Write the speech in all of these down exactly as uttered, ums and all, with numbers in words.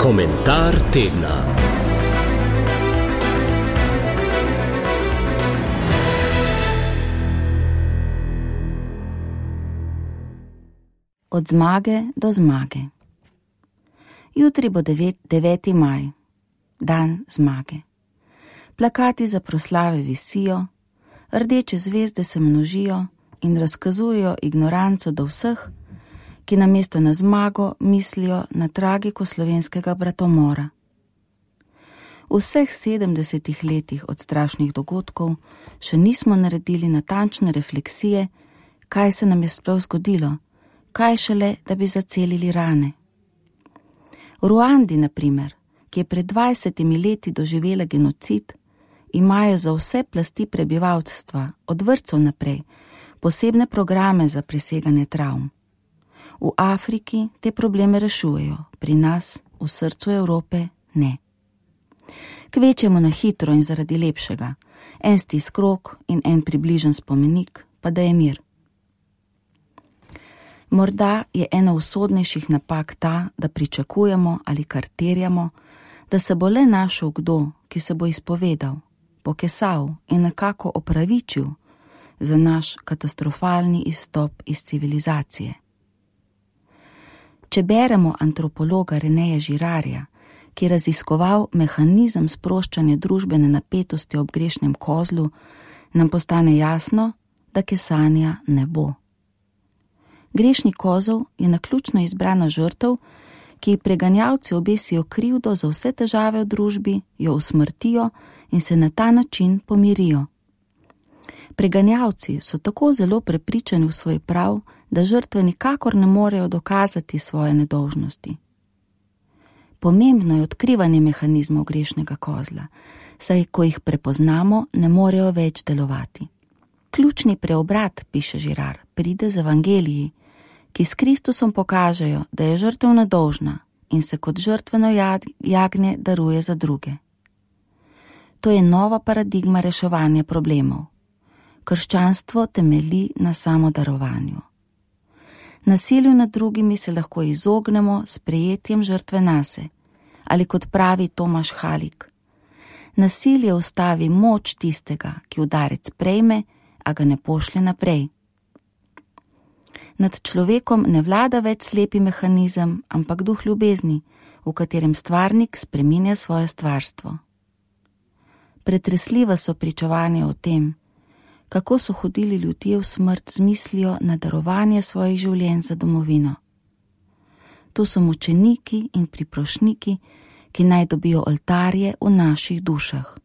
Komentar tedna. Od zmage do zmage. Jutri bo deveti maj, dan zmage. Plakati za proslave visijo, rdeče zvezde se množijo in razkazujejo ignoranco do vseh, ki namesto na zmago mislijo na tragiko slovenskega bratomora. V vseh sedemdesetih letih od strašnih dogodkov še nismo naredili natančne refleksije, kaj se nam je sploh zgodilo, kaj šele, da bi zacelili rane. V Ruandi, na primer, ki je pred dvajsetimi leti doživela genocid, imajo za vse plasti prebivalstva, od vrtcev naprej, posebne programe za preseganje travm. V Afriki te probleme rešujejo, pri nas, v srcu Evrope, ne. Kvečemo na hitro in zaradi lepšega, en stisk krog in en približen spomenik, pa da je mir. Morda je ena usodnejših napak ta, da pričakujemo ali kar terjamo, da se bo le našel kdo, ki se bo izpovedal, pokesal in nekako opravičil za naš katastrofalni izstop iz civilizacije. Če beremo antropologa Reneja Girardja, ki je raziskoval mehanizem sproščanja družbene napetosti ob grešnem kozlu, nam postane jasno, da kesanja ne bo. Grešni kozel je naključno izbrana žrtev, ki ji preganjavci obesijo krivdo za vse težave v družbi, jo usmrtijo in se na ta način pomirijo. Preganjavci so tako zelo prepričani v svoj prav, da žrtve nikakor ne morejo dokazati svoje nedolžnosti. Pomembno je odkrivanje mehanizmov grešnega kozla, saj ko jih prepoznamo, ne morejo več delovati. Ključni preobrat, piše Girard, pride z evangeliji, ki s Kristusom pokažejo, da je žrtev nedolžna in se kot žrtveno jagnje daruje za druge. To je nova paradigma reševanja problemov. Krščanstvo temelji na samodarovanju. Nasilju nad drugimi se lahko izognemo s prejetjem žrtve nase, ali kot pravi Tomaš Halik, nasilje ustavi moč tistega, ki udarec prejme, a ga ne pošlje naprej. Nad človekom ne vlada več slepi mehanizem, ampak duh ljubezni, v katerem stvarnik spreminja svoje stvarstvo. Pretresljiva so pričevanja o tem, kako so hodili ljudje v smrt z mislijo na darovanje svojih življenj za domovino. To so mučeniki in priprošniki, ki naj dobijo oltarje v naših dušah.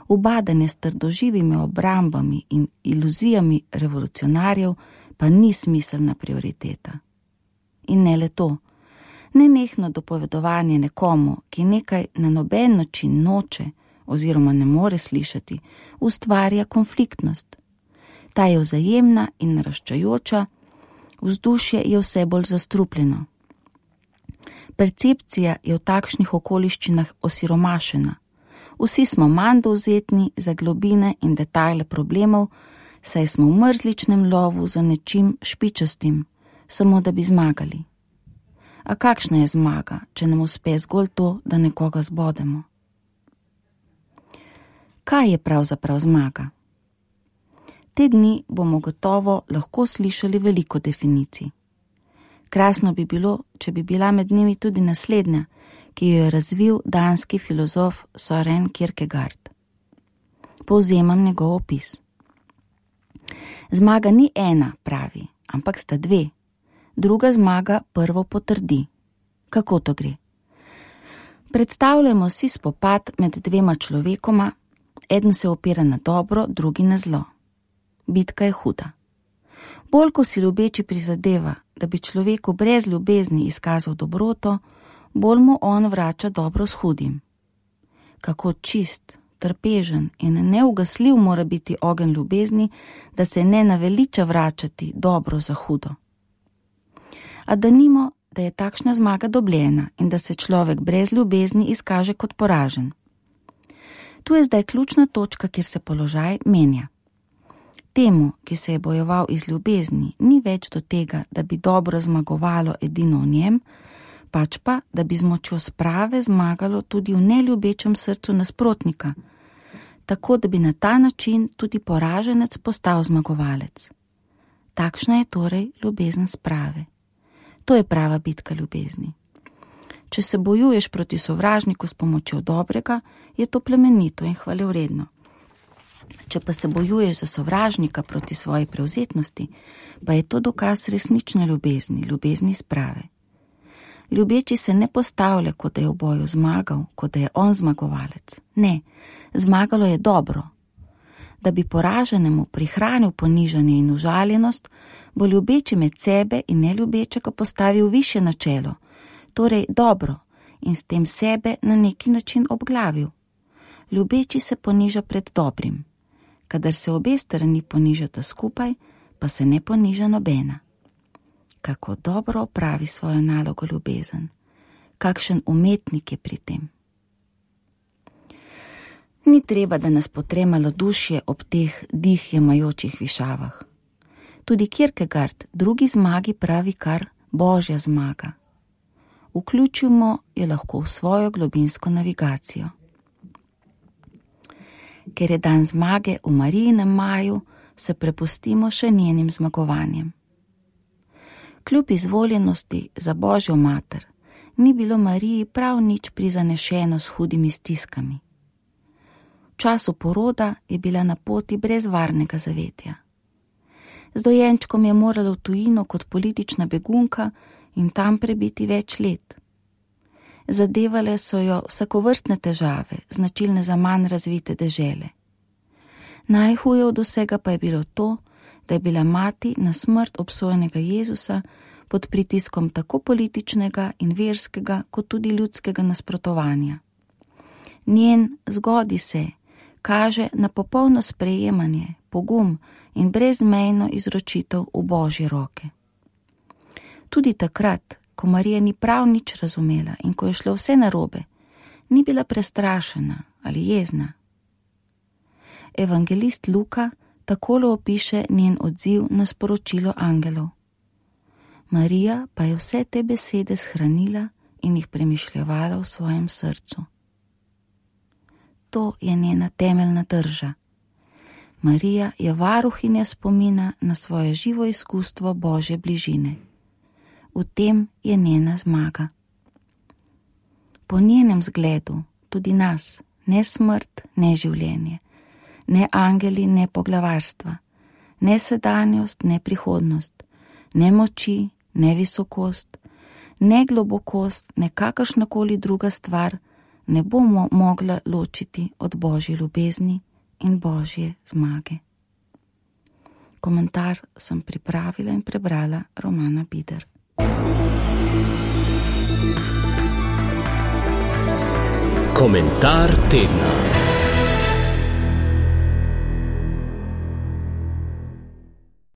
Ubadanje s trdoživimi obrambami in iluzijami revolucionarjev pa ni smiselna prioriteta. In ne le to, nenehno dopovedovanje nekomu, ki nekaj na noben način noče oziroma ne more slišati, ustvarja konfliktnost. Ta je vzajemna in naraščajoča, vzdušje je vse bolj zastrupljeno. Percepcija je v takšnih okoliščinah osiromašena. Vsi smo manj dovzetni za globine in detajle problemov, saj smo v mrzličnem lovu za nečim špičastim, samo da bi zmagali. A kakšna je zmaga, če nam uspe zgolj to, da nekoga zbodemo? Kaj je pravzaprav zmaga? Te dni bomo gotovo lahko slišali veliko definicij. Krasno bi bilo, če bi bila med njimi tudi naslednja, ki jo je razvil danski filozof Søren Kierkegaard. Povzemam njegov opis. Zmaga ni ena, pravi, ampak sta dve. Druga zmaga prvo potrdi. Kako to gre? Predstavljamo si spopad med dvema človekoma, eden se opira na dobro, drugi na zlo. Bitka je huda. Bolj ko si ljubeči prizadeva, da bi človeku brez ljubezni izkazal dobroto, bolj mu on vrača dobro s hudim. Kako čist, trpežen in neugasljiv mora biti ogenj ljubezni, da se ne naveliča vračati dobro za hudo. A danimo, da je takšna zmaga dobljena in da se človek brez ljubezni izkaže kot poražen. Tu je zdaj ključna točka, kjer se položaj menja. Temu, ki se je bojeval iz ljubezni, ni več do tega, da bi dobro zmagovalo edino v njem, pač pa, da bi z močjo sprave zmagalo tudi v neljubečem srcu nasprotnika, tako da bi na ta način tudi poraženec postal zmagovalec. Takšna je torej ljubezen sprave. To je prava bitka ljubezni. Če se bojuješ proti sovražniku s pomočjo dobrega, je to plemenito in hvalevredno. Če pa se bojuješ za sovražnika proti svoji prevzetnosti, pa je to dokaz resnične ljubezni, ljubezni sprave. Ljubeči se ne postavlja, kot da je v boju zmagal, kot da je on zmagovalec. Ne, zmagalo je dobro. Da bi poraženemu prihranil ponižanje in užaljenost, bo ljubeči med sebe in neljubečega postavil više načelo, torej dobro, in s tem sebe na neki način obglavil. Ljubeči se poniža pred dobrim. Kadar se obe strani ponižata skupaj, pa se ne poniža nobena. Kako dobro opravi svojo nalogo ljubezen. Kakšen umetnik je pri tem. Ni treba, da nas potrema malodušje ob teh dih jemajočih višavah. Tudi Kierkegaard drugi zmagi pravi kar božja zmaga. Vključimo jo lahko v svojo globinsko navigacijo. Ker je dan zmage v Marijinem maju, se prepustimo še njenim zmagovanjem. Kljub izvoljenosti za Božjo mater, ni bilo Mariji prav nič prizanešeno s hudimi stiskami. V času poroda je bila na poti brez varnega zavetja. Z dojenčkom je morala v tujino kot politična begunka in tam prebiti več let. Zadevale so jo vsakovrstne težave, značilne za manj razvite dežele. Najhuje od vsega pa je bilo to, da je bila mati na smrt obsojenega Jezusa pod pritiskom tako političnega in verskega, kot tudi ljudskega nasprotovanja. Njen zgodi se kaže na popolno sprejemanje, pogum in brezmejno izročitev v Božje roke. Tudi takrat, ko Marija ni prav nič razumela in ko je šlo vse narobe, ni bila prestrašena ali jezna. Evangelist Luka takole opiše njen odziv na sporočilo angelov. Marija pa je vse te besede shranila in jih premišljevala v svojem srcu. To je njena temeljna drža. Marija je varuhinja spomina na svoje živo izkustvo Božje bližine. V tem je njena zmaga. Po njenem zgledu tudi nas, ne smrt, ne življenje, ne angeli, ne poglavarstva, ne sedanjost, ne prihodnost, ne moči, ne visokost, ne globokost, ne kakršnakoli druga stvar ne bomo mogla ločiti od Božje ljubezni in Božje zmage. Komentar sem pripravila in prebrala Romana Bider. Komentar tedna.